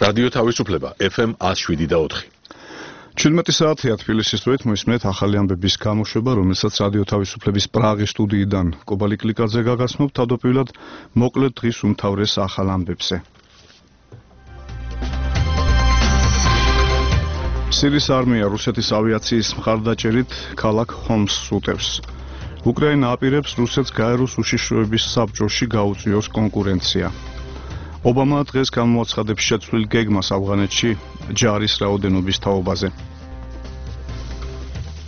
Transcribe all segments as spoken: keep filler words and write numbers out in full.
რადიო თავისუფლება ეფ ემ one oh seven და four. ჩვიდმეტი საათია თბილისის დროით მოისმენთ ახალი ამბების გამოშვება, რომელსაც რადიო თავისუფლების პრაღის სტუდიიდან კობალი კლიკაძე გაგაცნობთ. თავდაპირველად მოკლედ დღის უმთავრეს ახალ ამბებზე. სირიის არმია რუსეთის ავიაციის მხარდაჭერით ქალაქ ჰომსს უტევს. უკრაინა აპირებს რუსეთს გაეროს უშიშროების საბჭოში გაუწიოს კონკურენცია. ობამა დღეს გამოაცხადებს შეცვლილ გეგმას ავღანეთში ჯარის რაოდენობის თაობაზე.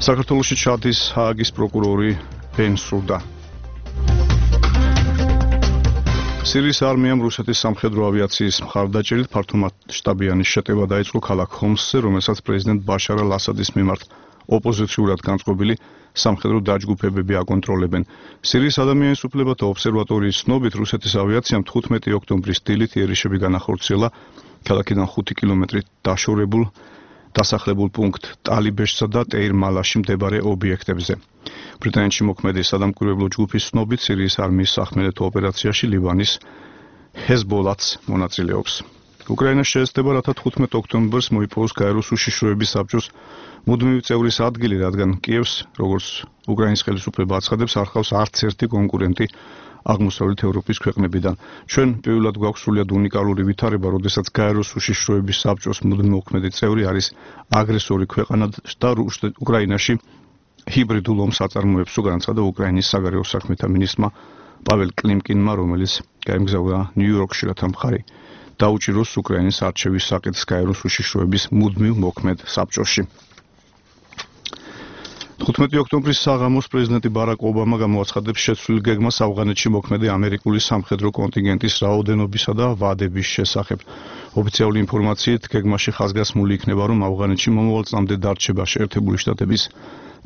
საქართველოში ჩადის ჰააგის პროკურორი ბენსუდა. სირიის არმიამ რუსეთის სამხედრო ავიაციის მხარდაჭერით ფართომასშტაბიანი შეტევა დაიწყო ქალაქ ჰომსზე, რომელსაც პრეზიდენტ ბაშარ ალ-ასადის მიმართ ოპოზიციურად განწყობილი სამხედრო დაჯგუფებები აკონტროლებენ. სირიის ადამიანის უფლებათა ობსერვატორიის ცნობით რუსეთის ავიაციამ თხუთმეტი ოქტომბრის დილით იერიშები განახორციელა ქალაქიდან ხუთი კილომეტრით დაშორებულ დასახლებულ პუნქტ ტალიბეშსა და ტეირ-მალაში მდებარე ობიექტებზე. ბრიტანეთში მოქმედი სადამკვირვებლო ჯგუფის ცნობით სირიის არმიის სახმელეთო ოპერაციაში ლიბანის ჰეზბოლათს მონაწილეობს. უკრაინას შეეცდება, რათა თხუთმეტ ოქტომბერს მოიპოვოს გაეროს უშიშროების საბჭოს მუდმივი წევრის ადგილი, რადგან კიევს, როგორც უკრაინის ხელისუფლება აცხადებს, არ ჰყავს არც ერთი კონკურენტი აღმოსავლეთ ევროპის ქვეყნებიდან. ჩვენ პირველად გვაქვს სრულიად უნიკალური ვითარება, როდესაც გაეროს უშიშროების საბჭოს მუდმივი მოქმედი წევრი არის აგრესორი ქვეყანა და უკრაინაში ჰიბრიდულ ომს აწარმოებს, განაცხადა უკრაინის საგარეო საქმეთა მინისტრმა პაվել კლიმკინმა, რომელიც გაემგზავრა ნიუ-იორკში, რათა მხარი დაუჭიროს უკრაინის არჩევის საკითხს გაეროს უშიშროების მუდმივ მოქმედ საბჭოში. თხუთმეტი ოქტომბრის საღამოს პრეზიდენტი ბარაკ ობამა გამოაცხადებს შეცვლილ გეგმას ავღანეთში მოქმედი ამერიკული სამხედრო კონტინგენტის რაოდენობისა და ვადების შესახებ. ოფიციალური ინფორმაციით გეგმაში ხაზგასმული იქნება, რომ ავღანეთში მომავალ წლამდე დარჩება შეერთებული შტატების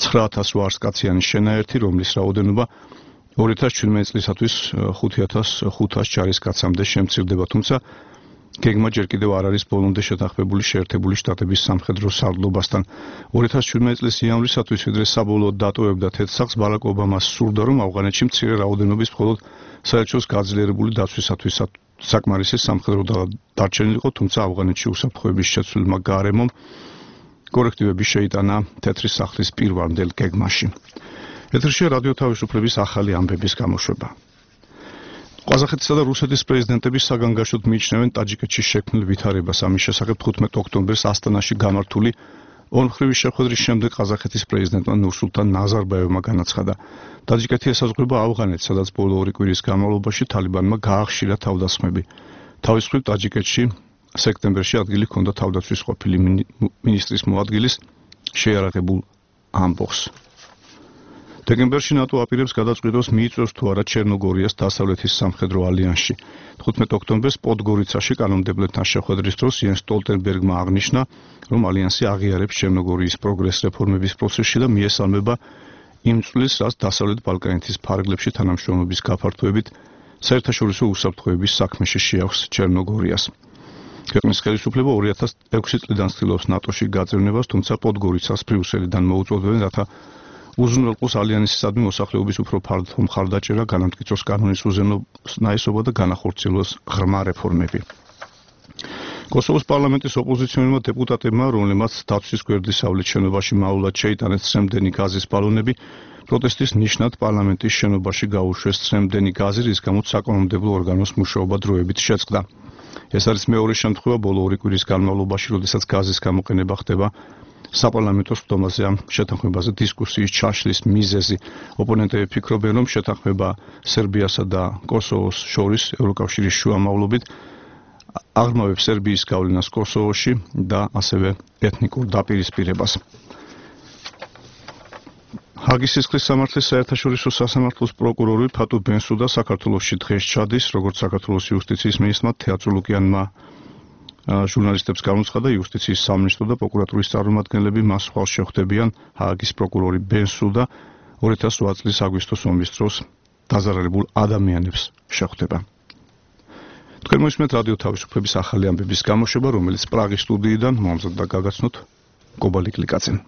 ცხრა ათას ოთხ ათას კაციანი შენაერთი, რომლის რაოდენობა ორი ათას ჩვიდმეტი წლისათვის ხუთი ათას ხუთას ჯარისკაცამდე შემცირდება, თუმცა გეგმა ჯერ კიდევ არ არის ბოლომდე შეთანხმებული შეერთებული შტატების სამხედრო სარდლობასთან. ორი ათას ჩვიდმეტი წლის იანვრისათვის, ვიდრე საბოლოოდ დატოვებდა თეთრ ბარაკ ობამას სურდა, რომ ავღანეთში მცირე რაოდენობის მხოლოდ საელჩოს გაძლიერებული დაცვისათვის საკმარისი სამხედრო დარჩენილიყო, თუმცა ავღანეთში უსაფრთხოების შეცვლილმა გარემომ კორექტივები შეიტანა თეთრი სახლის პირვანდელ გეგმაში. ეთერშია რადიო თავისუფლების ახალი ამბების გამოშვება. ყაზახეთისა და რუსეთის პრეზიდენტები საგანგაშოდ მიიჩნევენ ტაჯიკეთში შექმნილ ვითარებას. ამის შესახებ თხუთმეტ ოქტომბერს ასტანაში გამართული ორმხრივი შეხვედრის შემდეგ ყაზახეთის პრეზიდენტმა ნურსულთან ნაზარბაევმა განაცხადა, ტაჯიკეთი ესაზღვრება ავღანეთს, სადაც ბოლო ორი კვირის განმავლობაში თალიბანმა გაახშირა თავდასხმები. თავის მხრივ ტაჯიკეთში სექტემბერში ადგილი ჰქონდა თავდაცვის ყოფილი მინისტრის მოადგილის შეიარაღებულ ამბოხს. დეკემბერში ნატო აპირებს გადაწყვიტოს მიიწვევს თუ არა ჩერნოგორიას დასავლეთის სამხედრო ალიანსში. თხუთმეტ ოქტომბერს პოდგორიცაში კანონმდებლეთთან შეხვედრის დროს იენს სტოლტენბერგმა აღნიშნა, რომ ალიანსი აღიარებს ჩერნოგორიის პროგრეს რეფორმების პროცესში და მიესალმება იმ წვლილს, რაც დასავლეთ ბალკანეთის ფარგლებში თანამშრომლობის გაფართოებით საერთაშორისო უსაფრთხოების საქმეში შეაქვს ჩერნოგორიას. ქვეყნის ხელისუფლება ორი ათას ექვსი წლიდან ცდილობს ნატოში გაწევნებას, თუმცა პოდგორიცას ბრიუსელიდან მოუწოდებენ, რათა უზრუნველყოს ალიანსისადმი მოსახლეობის უფრო ფართო მხარდაჭერა, განამტკიცოს კანონის უზენაესობა და განახორციელოს ღრმა რეფორმები. კოსოვოს პარლამენტის ოპოზიციონერმა დეპუტატებმა, რომლებმაც დაცვის გვერდის სავლით შენობაში მაულად შეიტანეს ცრემდენი გაზის ბალონები, პროტესტის ნიშნად პარლამენტის შენობაში გაუშვეს ცრემდენი გაზი, რის გამოც საკანონმდებლო ორგანოს მუშაობა დროებით შეწყდა. ეს არის მეორე შემთხვევა ბოლო ორი კვირის განმავლობაში, როდესაც გაზის გამოყენება ხდება საპარლამენტო სხდომაზე ამ შეთანხმებაზე დისკუსიის ჩაშლის მიზეზი. ოპონენტები ფიქრობენ, რომ შეთანხმება სერბიასა და კოსოვოს შორის ევროკავშირის შუამავლობით აღრმავებს სერბიის გავლენას კოსოვოში და ასევე ეთნიკურ დაპირისპირებას. ჰაგის სისხლის სამართლის საერთაშორისო სასამართლოს პროკურორი ფატუ ბენსუდა საქართველოში დღეს ჩადის, როგორც საქართველოს იუსტიციის მინისტრმა თეატრო ლუკიანმა ჟურნალისტებს გამოცხადა, იუსტიციის სამინისტრო და პროკურატურის წარმომადგენლები მას ხვალ შეხვდებიან. ჰააგის პროკურორი ბენსუდა ორი ათას ოთხ წლის აგვისტოს ომის დროს დაზარალებულ ადამიანებს შეხვდება. თქვენ მოისმენთ რადიო თავისუფლების ახალი ამბების გამოშვება, რომელიც პრაღის სტუდიიდან მომზადდა გაგაცნოთ კობალი კლიკაძემ.